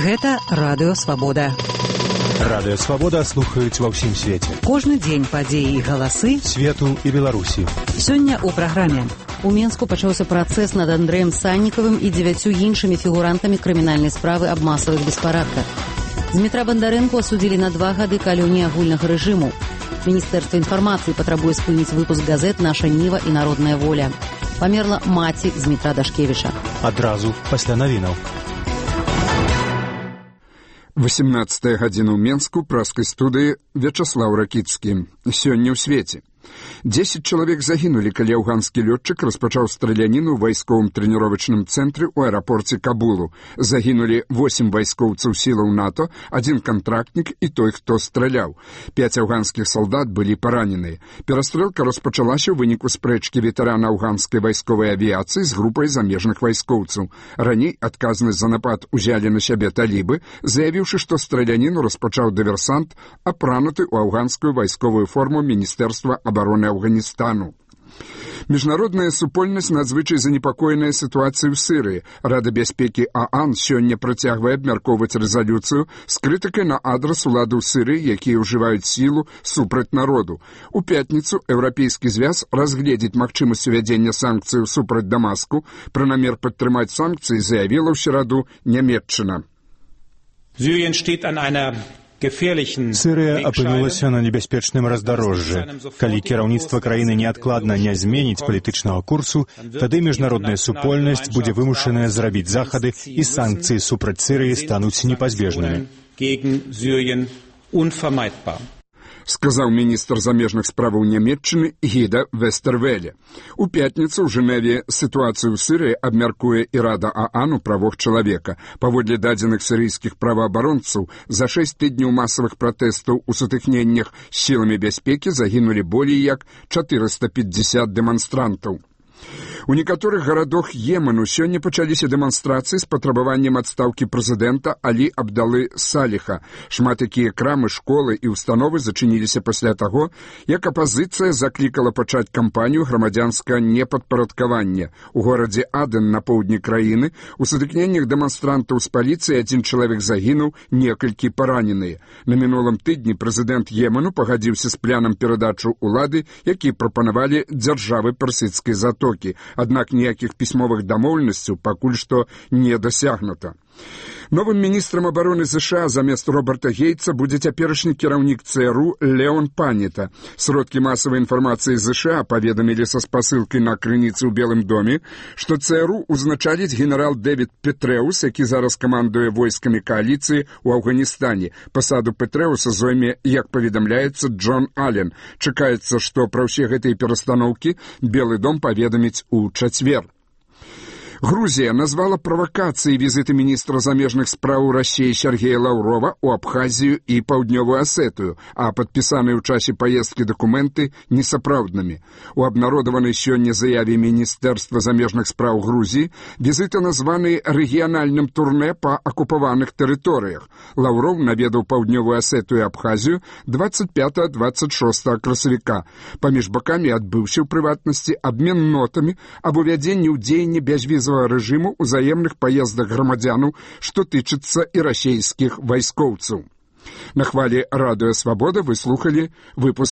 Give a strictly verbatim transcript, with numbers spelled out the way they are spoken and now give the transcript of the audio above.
Гэта Радыё Свабода. Радыё Свабода слухаюць ва ўсім свеце. Кожны дзень падзеі і галасы свету і Беларусі. Сёння ў праграме. У Менску пачаўся працэс над Андрэем Саннікавым і дзевяццю іншымі фігурантамі крымінальнай справы аб масавых беспарадках. Дмітра Бандарэнку асудзілі на два гады калоніі агульнага рэжыму. Міністэрства інфармацыі патрабуе спыніць выпуск газет «Наша Ніва» і «Народная воля». Памерла маці Дмітра Дашкевіча. Адразу пасля навінаў. восемнадцатая гадзіна ў Менску, праскай студыі Вячаслаў Ракіцкі. Сёння ў свеце. Дзесяць чалавек загінулі, калі афганскі лётчык распачаў страляніну ў вайсковым трэніровачным цэнтры ў аэрапорце Кабулу. Загінулі восем вайскоўцаў сілаў НАТО, адзін кантрактнік і той, хто страляў. Пяць афганскіх салдат былі параненыя. Перастрэлка распачалася ў выніку спрэчкі ветэрана афганскай вайсковай авіяцыі з групай замежных вайскоўцаў. Раней адказнасць за напад узялі на сябе талібы, заявіўшы, што страляніну распачаў дыверсант, апрануты ў афганскую вайсковую форму Міністэрства абароны Афганістану. Міжнародная супольнасць надзвычай занепакоеная сітуацыяй у Сірыі. Рада бяспекі ААН сёння працягвае абмяркоўваць рэзалюцыю з крытыкай на адрас уладаў Сірыі, якія ўжываюць сілу супраць народу. У пятніцу Еўрапейскі звяз разгледзіць магчымасць увядзення санкцыяў супраць Дамаску. Пра намер падтрымаць санкцыі заявіла ў сераду Нямецчына. Syrien steht an einer Сірыя апынулася на небяспечным раздарожжы. Калі кіраўніцтва краіны неадкладна не зменіць палітычнага курсу, тады міжнародная супольнасць будзе вымушаная зрабіць захады і санкцыі супраць Сірыі стануць непазбежнымі. Сказаў міністр замежных справаў Нямецчыны Гіда Вестэрвеле. У пятніцу ў Жэневе сітуацыю ў Сірыі абмяркуе і Рада ААН у правах чалавека. Паводле дадзеных сірыйскіх праваабаронцаў, за шэсць тыдняў масавых пратэстаў у сутыкненнях з сіламі бяспекі загінулі болей як чатырыста пятьдесят дэманстрантаў. У некаторых гарадах Йемену сёння пачаліся дэманстрацыі з патрабаваннем адстаўкі прэзідэнта Алі Абдалы Саліха. Шмат якія крамы, школы і ўстановы зачыніліся пасля таго, як апазіцыя заклікала пачаць кампанію грамадзянскага непадпарадкавання. У горадзе Аден на поўдні краіны у сутыкненнях дэманстрантаў з паліцыяй адзін чалавек загінуў, некалькі параненыя. На мінулым тыдні прэзідэнт Йемену пагадзіўся з планам перадачу ўлады, які прапанавалі дзяржавы персідскай затокі. Аднак ніякіх пісьмовых дамоўленасцяў пакуль што не дасягнута. Новым міністрам абароны ЗША замест Роберта Гейтса будзе цяперашні кіраўнік ЦРУ Леон Панета. Сродкі масавай інфармацыі ЗША паведамілі са спасылкай на крыніцы ў Белым доме, што ЦРУ узначаліць генерал Дэвід Петрэус, які зараз камандуе войскамі кааліцыі ў Афганістане. Пасаду Петрэуса зойме, як паведамляецца, Джон Аллен. Чакаецца, што пра ўсе гэтыя перастаноўкі Белы дом паведаміць у чацвер. Грузія назвала правакацыяй візіты міністра замежных спраў Расіі Сергея Лаўрова ў Абхазію і Паўднёвую Асетыю, а падпісаныя ў часе паездкі дакументы несапраўднымі. У абнародаванай сёння заяве Міністэрства замежных спраў Грузіі візіты названы рэгіянальным турнэ па акупаваных тэрыторыях. Лаўров наведаў Паўднёвую Асетыю і Абхазію двадцать пятого — двадцать шостого красавіка. Паміж бакамі адбыўся ў прыватнасці абмен нотамі аб увядзенні ў дзеянне бязвізавага рэжыму ўзаемных паездах грамадзянаў, што тычыцца і расійскіх вайскоўцаў. На хвалі Радыё Свабода вы слухалі выпуск